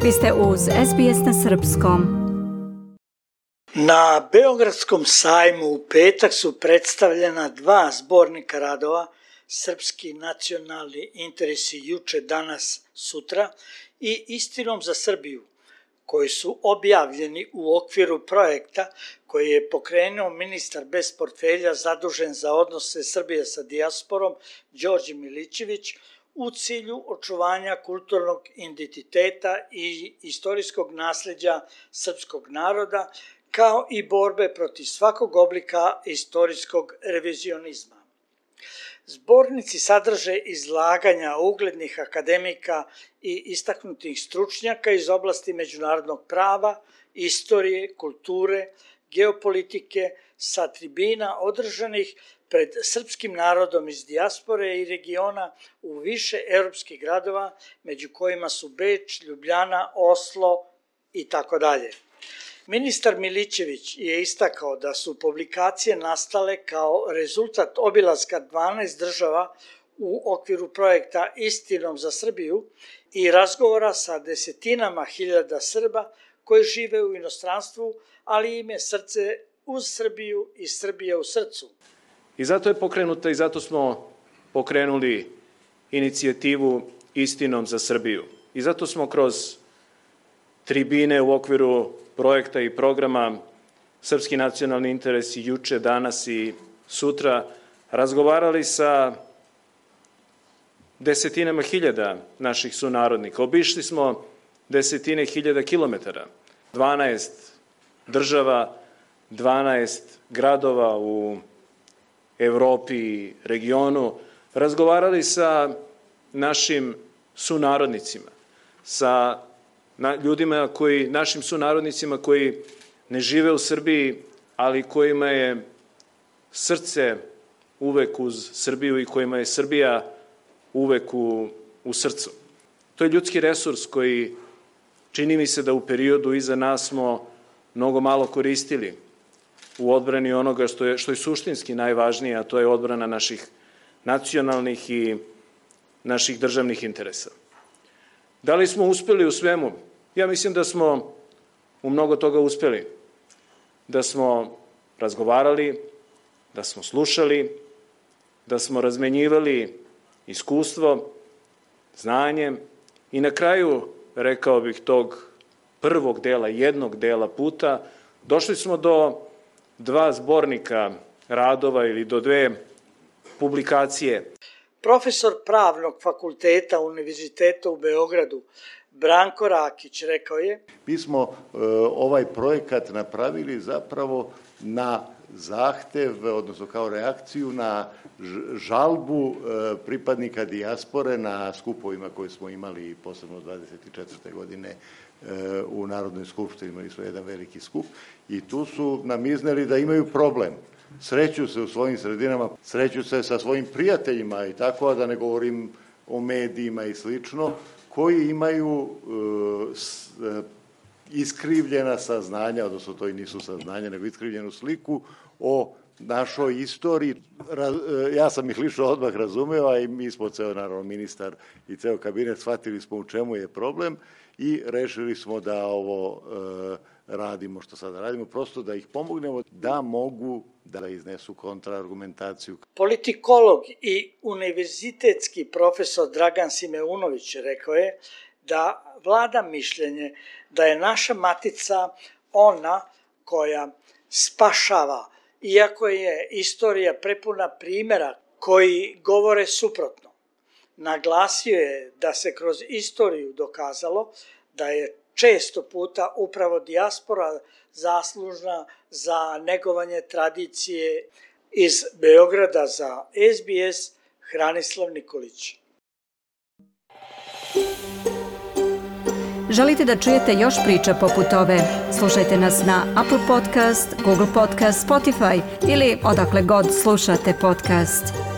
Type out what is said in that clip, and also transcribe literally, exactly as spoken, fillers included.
Vi ste uz S B S na srpskom. Na Beogradskom sajmu u petak su predstavljena dva zbornika radova Srpski nacionalni interesi juče, danas, sutra i Istinom za Srbiju, koji su objavljeni u okviru projekta koji je pokrenuo ministar bez portfelja zadužen za odnose Srbije sa dijasporom Đorđe Milićević u cilju očuvanja kulturnog identiteta i istorijskog nasleđa srpskog naroda, kao i borbe protiv svakog oblika istorijskog revizionizma. Zbornici sadrže izlaganja uglednih akademika i istaknutih stručnjaka iz oblasti međunarodnog prava, istorije, kulture, geopolitike sa tribina održanih pred srpskim narodom iz dijaspore i regiona u više evropskih gradova, među kojima su Beč, Ljubljana, Oslo i tako dalje. Ministar Milićević je istakao da su publikacije nastale kao rezultat obilaska dvanaest država u okviru projekta Istinom za Srbiju i razgovora sa desetinama hiljada Srba koji žive u inostranstvu, ali im je srce uz Srbiju i Srbija u srcu. I zato je pokrenuta i zato smo pokrenuli inicijativu Istinom za Srbiju. I zato smo kroz tribine u okviru projekta i programa Srpski nacionalni interesi juče, danas i sutra razgovarali sa desetinama hiljada naših sunarodnika. Obišli smo desetine hiljada kilometara, dvanaest država, dvanaest gradova u Evropi i regionu, razgovarali sa našim sunarodnicima, sa na ljudima koji, našim sunarodnicima koji ne žive u Srbiji, ali kojima je srce uvek uz Srbiju i kojima je Srbija uvek u, u srcu. To je ljudski resurs koji čini mi se da u periodu iza nas smo mnogo malo koristili u odbrani onoga što je, što je suštinski najvažnije, a to je odbrana naših nacionalnih i naših državnih interesa. Da li smo uspeli u svemu? Ja mislim da smo u mnogo toga uspeli. Da smo razgovarali, da smo slušali, da smo razmenjivali iskustvo, znanje i na kraju, rekao bih, tog prvog dela, jednog dela puta, došli smo do dva zbornika radova ili do dve publikacije. Profesor Pravnog fakulteta Univerziteta u Beogradu, Branko Rakić, rekao je: Mi smo e, ovaj projekat napravili zapravo na zahtev, odnosno kao reakciju na žalbu e, pripadnika dijaspore na skupovima koje smo imali posebno dvadeset četvrte godine e, u Narodnoj skupštini. Imali smo jedan veliki skup i tu su nam izneli da imaju problem. Sreću se u svojim sredinama, sreću se sa svojim prijateljima i tako, a da ne govorim o medijima i slično, koji imaju e, s, e, iskrivljena saznanja, odnosno to i nisu saznanja, nego iskrivljenu sliku o našoj istoriji. Raz, e, ja sam ih lično odmah razumeo, a i mi smo, ceo naravno ministar i ceo kabinet, shvatili smo u čemu je problem i rešili smo da ovo e, radimo što sada radimo, prosto da ih pomognemo da mogu da iznesu kontraargumentaciju. Politikolog i univerzitetski profesor Dragan Simeunović rekao je da vlada mišljenje da je naša matica ona koja spašava, iako je istorija prepuna primjera koji govore suprotno. Naglasio je da se kroz istoriju dokazalo da je često puta upravo dijaspora zaslužna za negovanje tradicije. Iz Beograda za S B S, Hranislav Nikolić. Želite da čujete još priča poput ove? Slušajte nas na Apple Podcast, Google Podcast, Spotify ili odakle god slušate podcast.